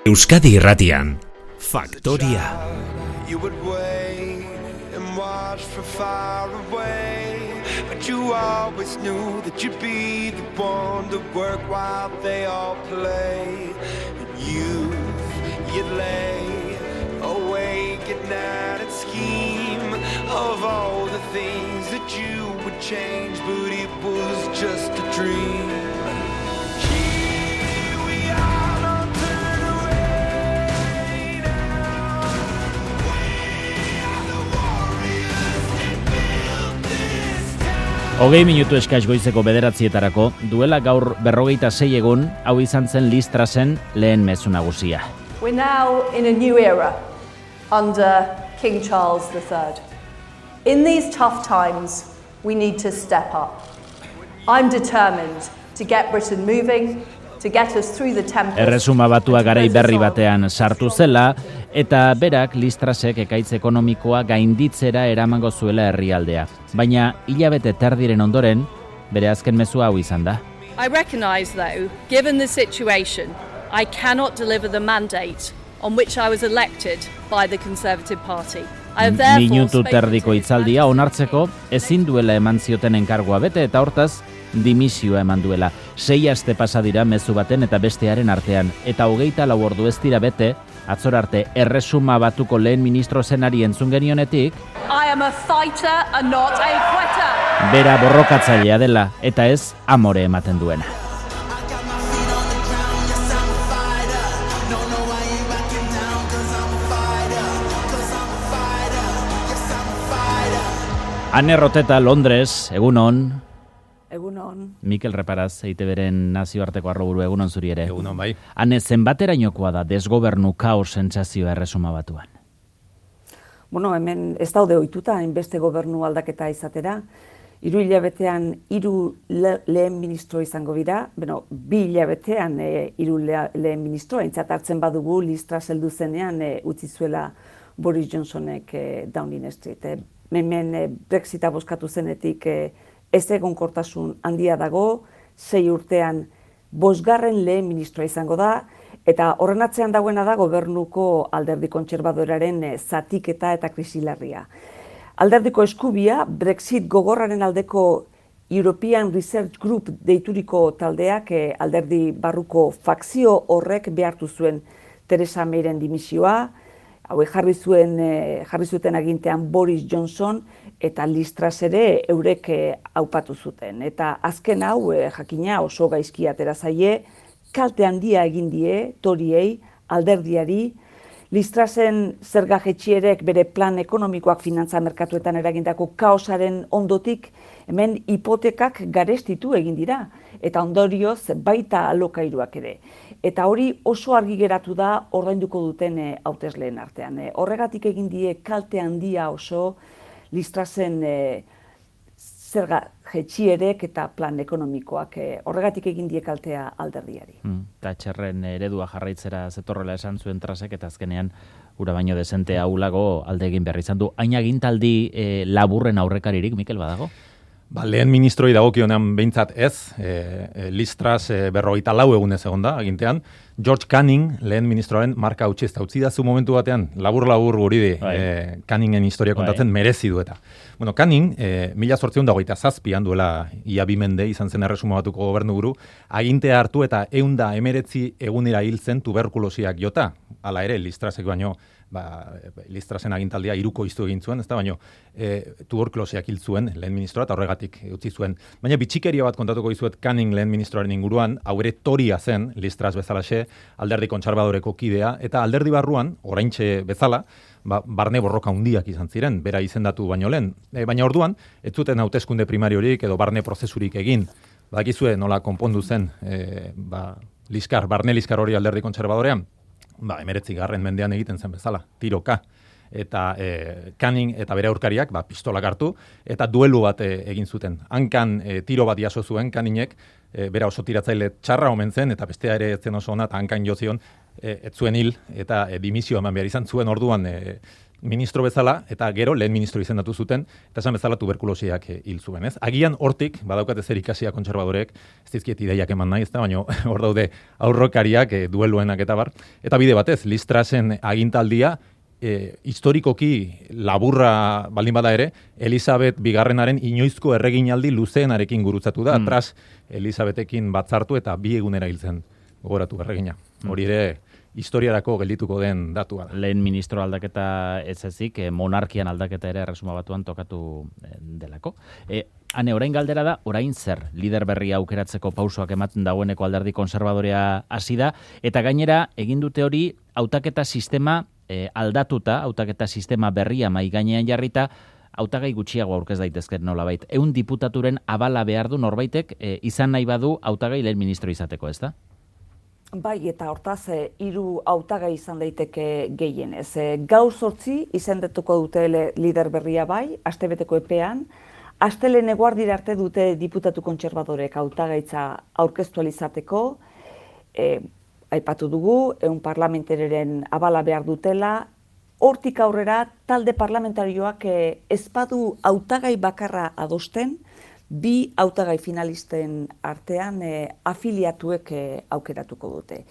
Euskadi Irratian, Faktoria. You would wait and watch from far away, but you always knew that you'd be the one to work while they all play. And you'd lay awake at night and scheme of all the things that you would change, but it was just a dream. Hogei minutu eskaz goizeko 9:00 duela gaur 46 egun, hau izan zen Listrasen lehen mezu nagusia. We're now in a new era under King Charles III. In these tough times, we need to step up. I'm determined to get Britain moving, to get us through the tempest. Erresuma Batua garai berri batean sartu zela, eta berak Listrasek ekaitz ekonomikoa gainditzera eramango zuela herrialdea. Baina hilabete terdiren ondoren, bere azken mezua hau izan da. I recognize, though, given the situation, I cannot deliver the mandate on which I was elected by the Conservative Party. Minutu terdiko hitzaldia onartzeko ezin duela eman zioten enkargua bete eta hortaz dimisioa eman duela. 6 aste pasa dira mezu baten eta bestearen artean eta 24 ordu ez dira bete atzor arte Erresuma Batuko lehen ministro zenari entzun genionetik I am a fighter and not a quitter. Bera borrokatzailea dela eta ez amore ematen duena. Ane Roteta, Londres, egunon. Egunon. Mikel Reparaz, EITBren nazioarteko arroburu, egunon zuri ere. Egunon, bai. Ane, zenbaterainokoa da desgobernu kaos sentsazioa Erresuma Batuan? Bueno, hemen ez daude ohituta hainbeste gobernu aldaketa izatera. 3 hilabetean 3 lehen ministro izango dira, 2 hilabetean 3 lehen ministro, aintzat hartzen badugu Listras heldu zenean utzi zuela Boris Johnsonek Downing Street. Hemen Brexita bozkatu zenetik ez egonkortasun handia dago, 6 urtean 5. lehen ministroa izango da, eta horren atzean dagoena da gobernuko alderdi kontserbadoraren zatiketa eta krisilarria. Alderdiko eskubia, Brexit gogorraren aldeko European Research Group deituriko taldeak alderdi barruko fakzio horrek behartu zuen Theresa Mayren dimisioa, hauek jarri zuten agintean Boris Johnson eta Listras ere eurek aupatu zuten. Eta azken hau jakina oso gaizki atera zaie, kalte handia egin die Toriei, alderdiari, Listrasen zerga jaitsierek bere plan ekonomikoak finantza merkatuetan eragindako kaosaren ondotik hemen hipotekak garestitu egin dira eta ondorioz baita alokairuak ere. Eta hori oso argi geratu da ordainduko duten hautesleen artean. Horregatik egin die kalte handia oso Listrasen zerga jaitsierek eta plan ekonomikoak horregatik egin die kaltea alderdiari. Thatcherren eredua jarraitzera zetorrela esan zuen Trasek eta azkenean ura baino dezente ahulago alde egin behar izan du. Hain agintaldi laburren aurrekaririk, Mikel, badago? Lehen ministroi dagokionean behintzat ez, Listras 44 egunez egon da, agintean. George Canning, lehen ministroaren marka utzi da zu momentu batean, labur guri di, Canningen historia kontatzen merezi du eta. Bueno, Canning, 1827 duela ia 2 mende izan zen Erresuma Batuko gobernuburu, agintea hartu eta 119 egunera hil zen tuberkulosiak jota. Hala ere, Listrasek baino, Listrasen agintaldia 3 iztu egin zuen, ezta baino tuberkulosiak hil zuen lehen ministroa eta horregatik utzi zuen. Baina bitxikeria bat kontatuko dizuet Canning lehen ministroaren inguruan, hau ere Toria zen, Listras bezalaxe, alderdi kontserbadoreko kidea, eta alderdi barruan, oraintxe bezala, barne borroka handiak izan ziren, bera izendatu baino lehen. Baina orduan, ez zuten hauteskunde primariorik edo barne prozesurik egin. Badakizue nola konpondu zen barne liskar hori alderdi kontserbadorean? 19. mendean egiten zen bezala, tiroka. Eta Canning eta bere aurkariak pistolak hartu eta duelu bat egin zuten. Hankan tiro bat jaso zuen Canningek, bera oso tiratzaile txarra omen zen eta bestea ere etzen oso ona eta hankan jo zion ez zuen hil eta dimisio eman behar izan zuen orduan ministro bezala, eta gero lehen ministro izendatu zuten, eta esan bezala tuberkulosiak hil zuen, ez? Agian hortik, badaukate zer ikasia kontserbadorek, ez dizkiet ideiak eman nahi, ez da, baina hor daude aurrokariak, dueluenak eta bar. Eta bide batez, Liz Trussen agintaldia, historikoki laburra baldin bada ere, Elizabeth bigarrenaren inoizko erreginaldi luzeenarekin gurutzatu da, Truss Elizabethekin batzartu eta 2 egunera hiltzen gogoratu erregina. Hori ere, historiarako geldituko den datua. Lehen ministro aldaketa ez ezik, monarkian aldaketa ere Erresuma Batuan tokatu delako. Hane, orain galdera da, orain zer, lider berria aukeratzeko pausoak ematen dagoeneko alderdi konservadorea hasi da, eta gainera, egin dute hori, hautaketa sistema aldatuta, hautaketa sistema berria mai gainean jarrita, hautagai gutxiago aurkez daitezken nolabait. 100 diputaturen abala behar du norbaitek izan nahi badu hautagai lehen ministro izateko, ez da? Bai, eta hortaz, 3 hautagai izan daiteke gehienez. Gaur 8 izendatuko dute lider berria bai, astebeteko epean, astelehen eguardira arte dute diputatu kontserbadorek hautagaitza aurkeztu izateko, aipatu dugu, parlamentarioren abala behar dutela, hortik aurrera talde parlamentarioak ezpadu hautagai bakarra adosten, 2 hautagai finalisten artean afiliatuek aukeratuko dute.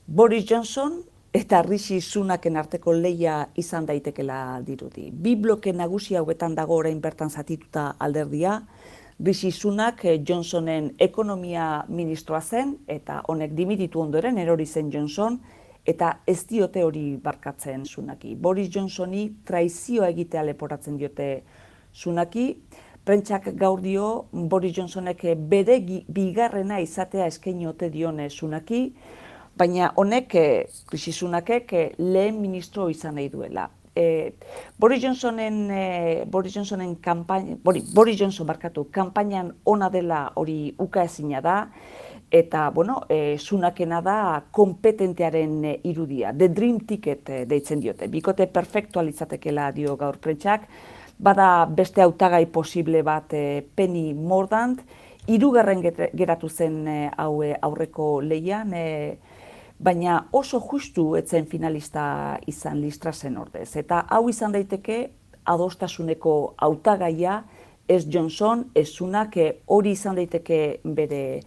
Boris Johnson eta Rishi Sunaken arteko lehia izan daitekela dirudi. 2 bloke nagusi hauetan dago orain bertan zatituta alderdia, Rishi Sunak Johnsonen ekonomia ministroa zen, eta honek dimititu ondoren erori zen Johnson, eta ez diote hori barkatzen Sunaki. Boris Johnsoni traizioa egitea leporatzen diote Sunaki. Prentsak gaur dio Boris Johnsonek bere bigarrena izatea eskaini ote dion Sunaki, baina honek, Rishi Sunakek lehen ministro izan nahi duela. Boris Johnson kanpainan ona dela hori ukaezina da, eta, Sunakena da kompetentearen irudia, the dream ticket deitzen diote. Bikote perfektual izatekela dio gaur prentsak, bada beste hautagai posible bat Penny Mordaunt, 3. geratu zen aurreko lehian, baina oso justu etzen finalista izan Liz Trussen ordez. Eta hau izan daiteke adostasuneko hautagaia, ez Johnson, ez Sunak, hori izan daiteke bere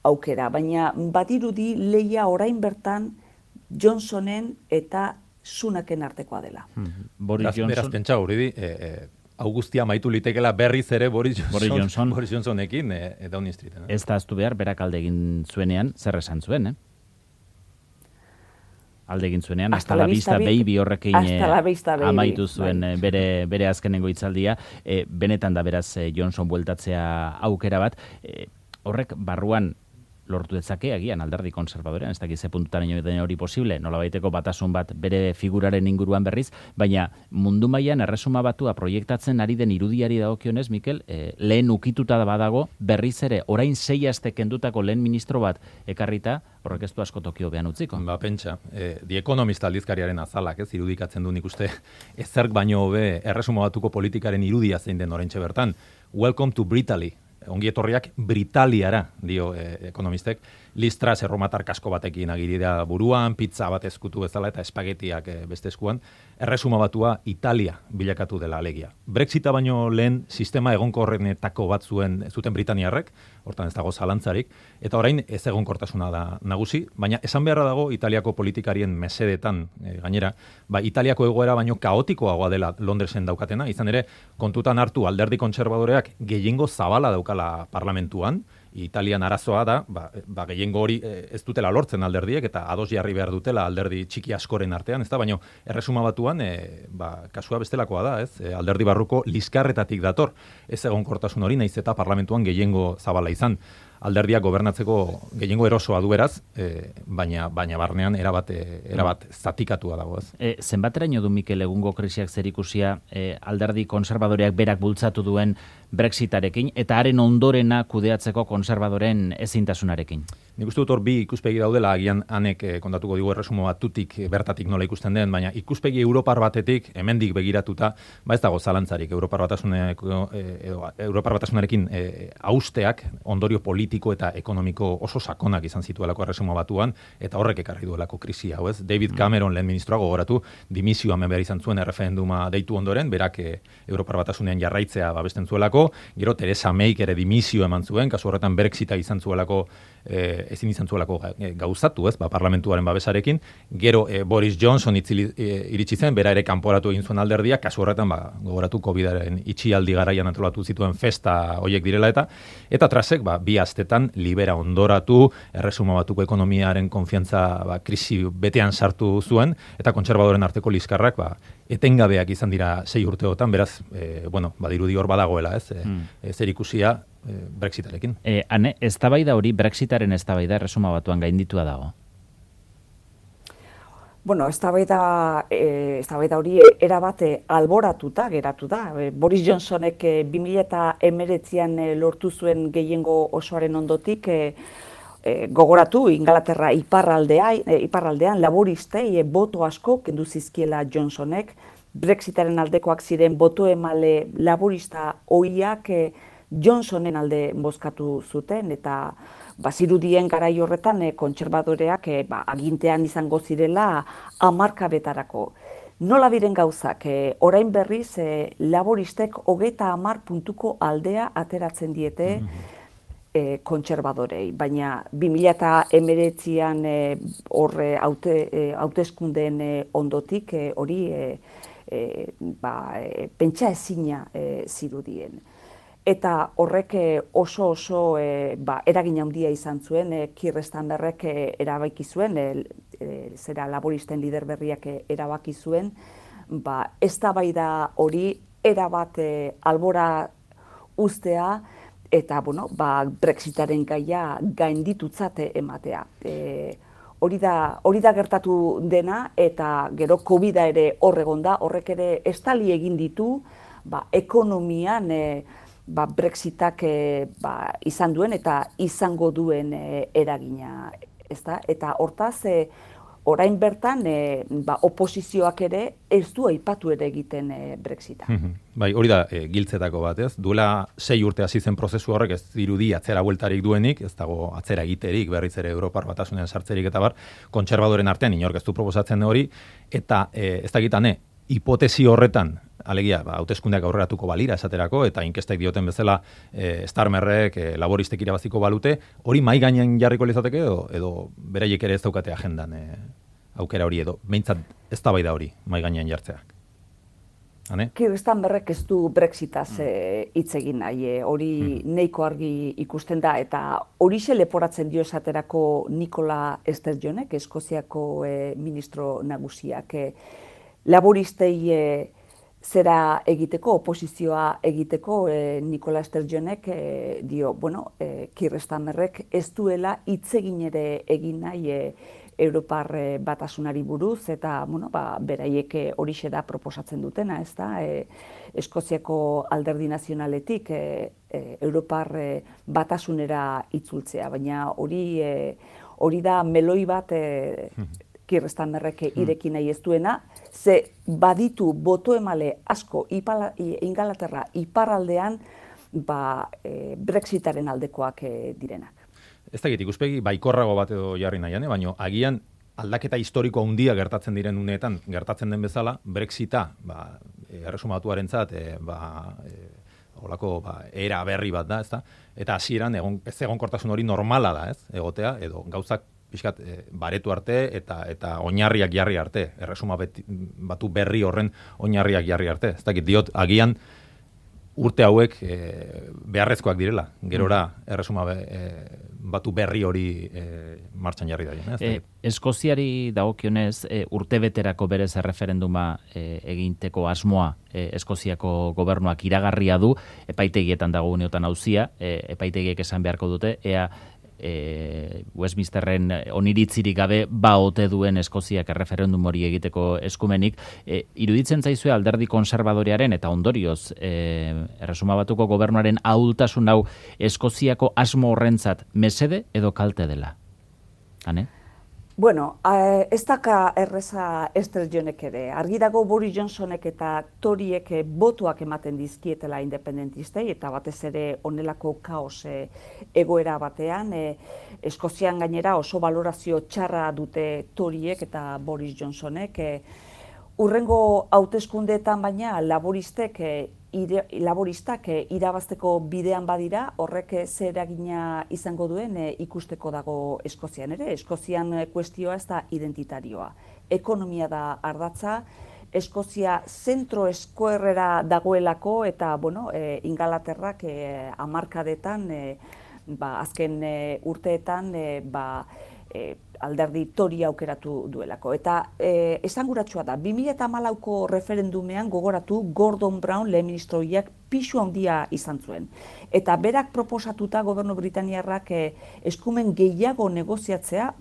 aukera. Baina badirudi lehia orain bertan Johnsonen eta Sunaken artekoa dela. Beraz pentsa hori hau guztia maitu litekela berriz ere Boris Johnsonekin Downing Streeten. Ez da aztu behar, berak alde egin zuenean, zer esan zuen, alde egin zuenean, hasta la vista baby horrekin amaitu zuen bere azkenengo hitzaldia, benetan da beraz Johnson bueltatzea aukera bat, horrek barruan lortu dezake agian alderdi konservadorean, ez dakiz ze puntutan den hori posible, nolabaiteko batasun bat bere figuraren inguruan berriz, baina mundu mailan Erresuma Batua proiektatzen ari den irudiari dagokionez, Mikel, lehen ukituta badago, berriz ere, orain 6 aste kendutako lehen ministro bat ekarrita, horrek ez du asko tokio behan utziko. Pentsa, The Economist aldizkariaren azalak, irudikatzen du nik uste, ezerk baino hobe Erresuma Batuko politikaren irudia zein den oraintxe bertan. Welcome to Britaly. Ongi etorriak Britaliara, dio ekonomistek. Liz Truss erromatar kasko batekin agirira buruan, pizza bat ezkutu bezala eta espagetiak beste eskuan. Erresuma Batua Italia bilakatu dela alegia. Brexita baino lehen sistema egonkorrenetako bat zuten Britaniarrek, hortan ez dago zalantzarik, eta orain ez egonkortasuna da nagusi, baina esan beharra dago Italiako politikarien mesedetan gainera, Italiako egoera baino kaotikoagoa dela Londresen daukatena, izan ere kontutan hartu alderdi kontserbadoreak gehiengo zabala daukala parlamentuan, Italian arazoa da, gehiengo hori ez dutela lortzen alderdiek, eta ados jarri behar dutela alderdi txiki askoren artean, ez da, baina Erresuma Batuan, kasua bestelakoa da, ez? Alderdi barruko liskarretatik dator, ez egonkortasun hori, naiz eta parlamentuan gehiengo zabala izan. Alderdiak gobernatzeko gehiengo erosoa du beraz, baina barnean erabat zatikatua dago, ez? Zenbateraino du Mikel egungo krisiak zerikusia alderdi konserbadoreak berak bultzatu duen Brexitarekin eta haren ondorena kudeatzeko konserbadoren ezintasunarekin? Nik uste dut hor bi ikuspegi daudela, agian hanek kontatuko digu erresumo batutik bertatik nola ikusten den, baina ikuspegi Europar batetik hemendik begiratuta, ez dago zalantzarik Europar Batasunarekin hausteak ondorio politiko eta ekonomiko oso sakonak izan zituelako erresumo batuan, eta horrek ekarri duelako krisi hau, ez? David Cameron lehen ministroa gogoratu, dimisioa behar izan zuen erreferenduma deitu ondoren, berak Europar Batasunean jarraitzea babesten zuelako, gero Theresa Mayk ere dimisio eman zuen, kasu horretan Brexita izan zuelako, ezin izan zuelako gauzatu, ez, parlamentuaren babesarekin, gero Boris Johnson iritsi zen, bera ere kanporatu egin zuen alderdia, kasu horretan, gogoratu COVID-aren itxialdi garaian antolatu zituen festa hoiek direla eta Trasek, bi astetan libera ondoratu, erresuma batuko ekonomiaren konfiantza krisi betean sartu zuen, eta kontserbadoren arteko liskarrak, etengabeak izan dira 6 urteotan, beraz, badirudi hor badagoela, ez, zer ikusia Brexitarekin. Hane, eztabaida hori, Brexitaren eztabaida erresuma batuan gainditua dago? Bueno, eztabaida hori erabate alboratuta geratu da. Boris Johnsonek 2019an lortu zuen gehiengo osoaren ondotik gogoratu Ingalaterra iparraldean laboristei boto asko kendu zizkiela Johnsonek. Brexitaren aldekoak ziren boto emale laborista ohiak Johnsonen alde bozkatu zuten, eta bazirudien garai horretan kontserbadoreak agintean izango zirela 10 betarako. Nola diren gauzak, orain berriz laboristek 30 puntuko aldea ateratzen diete kontserbadorei, baina 2019an horre hauteskundeen ondotik hori pentsa ezina zirudien. Eta horrek oso eragin handia izan zuen, Keir Starmerrek erabaki zuen, zera laboristen lider berriak erabaki zuen, eztabaida hori erabat albora uztea, eta Brexitaren gaia gainditutzat ematea. Hori da gertatu dena, eta gero COVID-a ere horregonda, horrek ere estali egin ditu, ekonomian Brexitak izan duen eta izango duen eragina, ezta? Eta hortaz, orain bertan, oposizioak ere ez du aipatu ere egiten Brexita. Hori da giltzetako bat, ez? Duela 6 urte hasi zen prozesu horrek ez dirudi atzera bueltarik duenik, ez dago atzera egiterik, berriz ere Europar Batasunean sartzerik eta kontserbadoren artean inork ez du proposatzen hori, eta ez dakitane, hipotesi horretan, alegia, hauteskundeak aurreratuko balira esaterako, eta inkestek dioten bezala Starmerrek, laboristek irabaziko balute, hori mai gainean jarriko lezateke edo beraiek ere ez daukate agendan aukera hori edo, behintzat ez da hori mai gainean jartzeak. Keir Starmerrek ez du Brexitaz hitz egin nahi, hori nahiko argi ikusten da, eta horixe leporatzen dio esaterako Nicola Sturgeonek, Eskoziako ministro nagusiak, laboristei zera egiteko, oposizioa egiteko, Nicola Sturgeonek dio, Keir Starmerrek ez duela hitz egin ere egin nahi Europar Batasunari buruz, eta beraiek horixe da proposatzen dutena, ez da, Eskoziako alderdi nazionaletik Europar Batasunera itzultzea, baina hori da meloi bat Keir Starmerrek ireki nahi ez duena, ze baditu boto emale asko Ingalaterra iparraldean Brexitaren aldekoak direnak. Ez dakit, ikuspegi baikorrago bat edo jarri nahian, baina agian aldaketa historiko handia gertatzen diren uneetan, gertatzen den bezala, Brexita, erresumatuarentzat, holako era berri bat da, ezta? Eta hasieran ez egonkortasun hori normala da, ez? Egotea, edo gauzak pixkat baretu arte eta oinarriak jarri arte, erresuma batu berri horren oinarriak jarri arte. Ez dakit, diot, agian urte hauek beharrezkoak direla, gerora erresuma batu berri hori martxan jarri daien. Eskoziari dagokionez, urtebeterako berez erreferenduma eginteko asmoa Eskoziako gobernuak iragarria du, epaitegietan dago uneotan auzia, epaitegiek esan beharko dute, ea Westminsterren oniritzirik gabe ote duen Eskoziak erreferendum hori egiteko eskumenik. Iruditzen zaizue alderdi konserbadorearen eta ondorioz erresuma batuko gobernuaren ahultasun hau Eskoziako asmo horrentzat mesede edo kalte dela? Hane? Bueno, ez daka erreza Esther Jonek ere. Argi dago Boris Johnsonek eta Toriek botuak ematen dizkietela independentistei, eta batez ere honelako kaos egoera batean. Eskozian gainera oso valorazio txarra dute Toriek eta Boris Johnsonek. Urrengo hauteskundeetan baina laboristak irabazteko bidean badira, horrek zer eragina izango duen ikusteko dago Eskozian ere. Eskozian kuestioa ez da identitarioa. Ekonomia da ardatza, Eskozia zentro eskuerrera dagoelako, eta Ingalaterrak hamarkadetan, azken urteetan, alderdi Tori aukeratu duelako. Eta esanguratsua da, 2014ko referendumean gogoratu Gordon Brown lehen ministroiak pisu handia izan zuen. Eta berak proposatuta gobernu britainiarrak eskumen gehiago negoziatzea,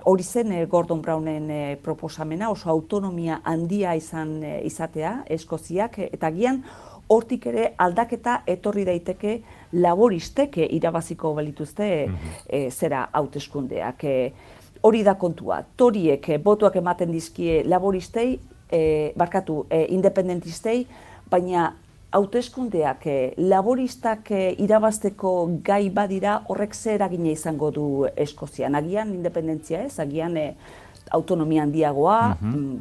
hori zen Gordon Brownen proposamena, oso autonomia handia izatea Eskoziak, eta gian hortik ere aldaketa etorri daiteke laboristek irabaziko balituzte zera hauteskundeak. Hori da kontua. Toriek botuak ematen dizkie laboristei, independentistei, baina hauteskundeak laboristak irabazteko gai badira, horrek zer eragina izango du Eskozian. Agian independentzia ez, agian autonomia handiagoa,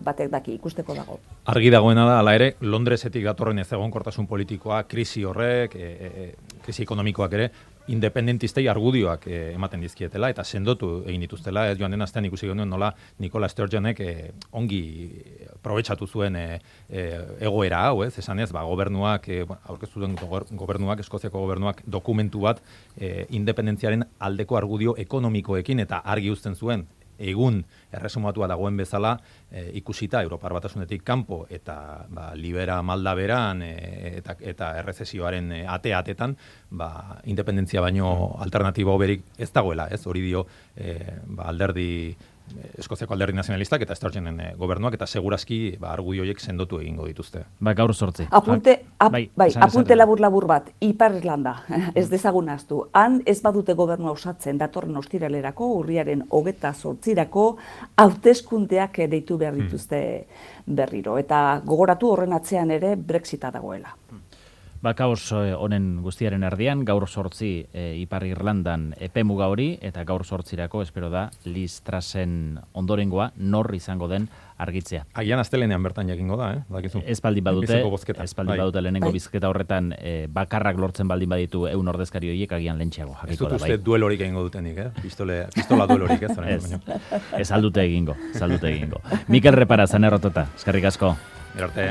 batek daki ikusteko dago. Argi dagoena da, hala ere, Londresetik datorren ezegonkortasun politikoa, krisi horrek, krisi ekonomikoak ere, independentistei argudioak ematen dizkietela, eta sendotu egin dituztela, ez joan den astean ikusi genuen nola Nicola Sturgeonek ongi probetxatu zuen egoera hau, esanez, gobernuak, aurkeztu duen gobernuak, Eskoziako gobernuak dokumentu bat independentziaren aldeko argudio ekonomikoekin, eta argi uzten zuen, egun erresumatua dagoen bezala ikusita Europar Batasunetik kanpo eta libera malda beran eta errezesioaren ate-atetan independentzia baino alternatibo berik ez dagoela, ez? Hori dio alderdi Eskoziako alderdi nazionalistak eta Sturgeonen gobernuak, eta segurazki argudio horiek sendotu egingo dituzte. Gaur 8. Apunte labur bat, Ipar Irlanda, ez dezagun ahaztu. Han ez badute gobernua osatzen datorren ostiralerako, urriaren 28rako hauteskundeak deitu behar dituzte berriro. Eta gogoratu horren atzean ere Brexita dagoela. Kaos honen guztiaren erdian, gaur 8 Ipar Irlandan epemuga hori, eta gaur 8rako espero da Liz Trussen ondorengoa nor izango den argitzea. Agian astelenean bertan jakingo da, dakizu. Ez baldin badute lehenengo bizketa horretan bakarrak lortzen baldin baditu 100 ordezkari horiek agian lentxeago jakiko da. Ez dut uste duelorik egingo dutenik, pistola duelorik ez. Ez aldute egingo. Mikel Repara, zanerrotota, eskerrik asko. Erarte.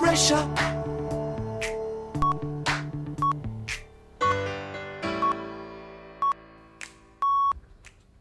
Pressure.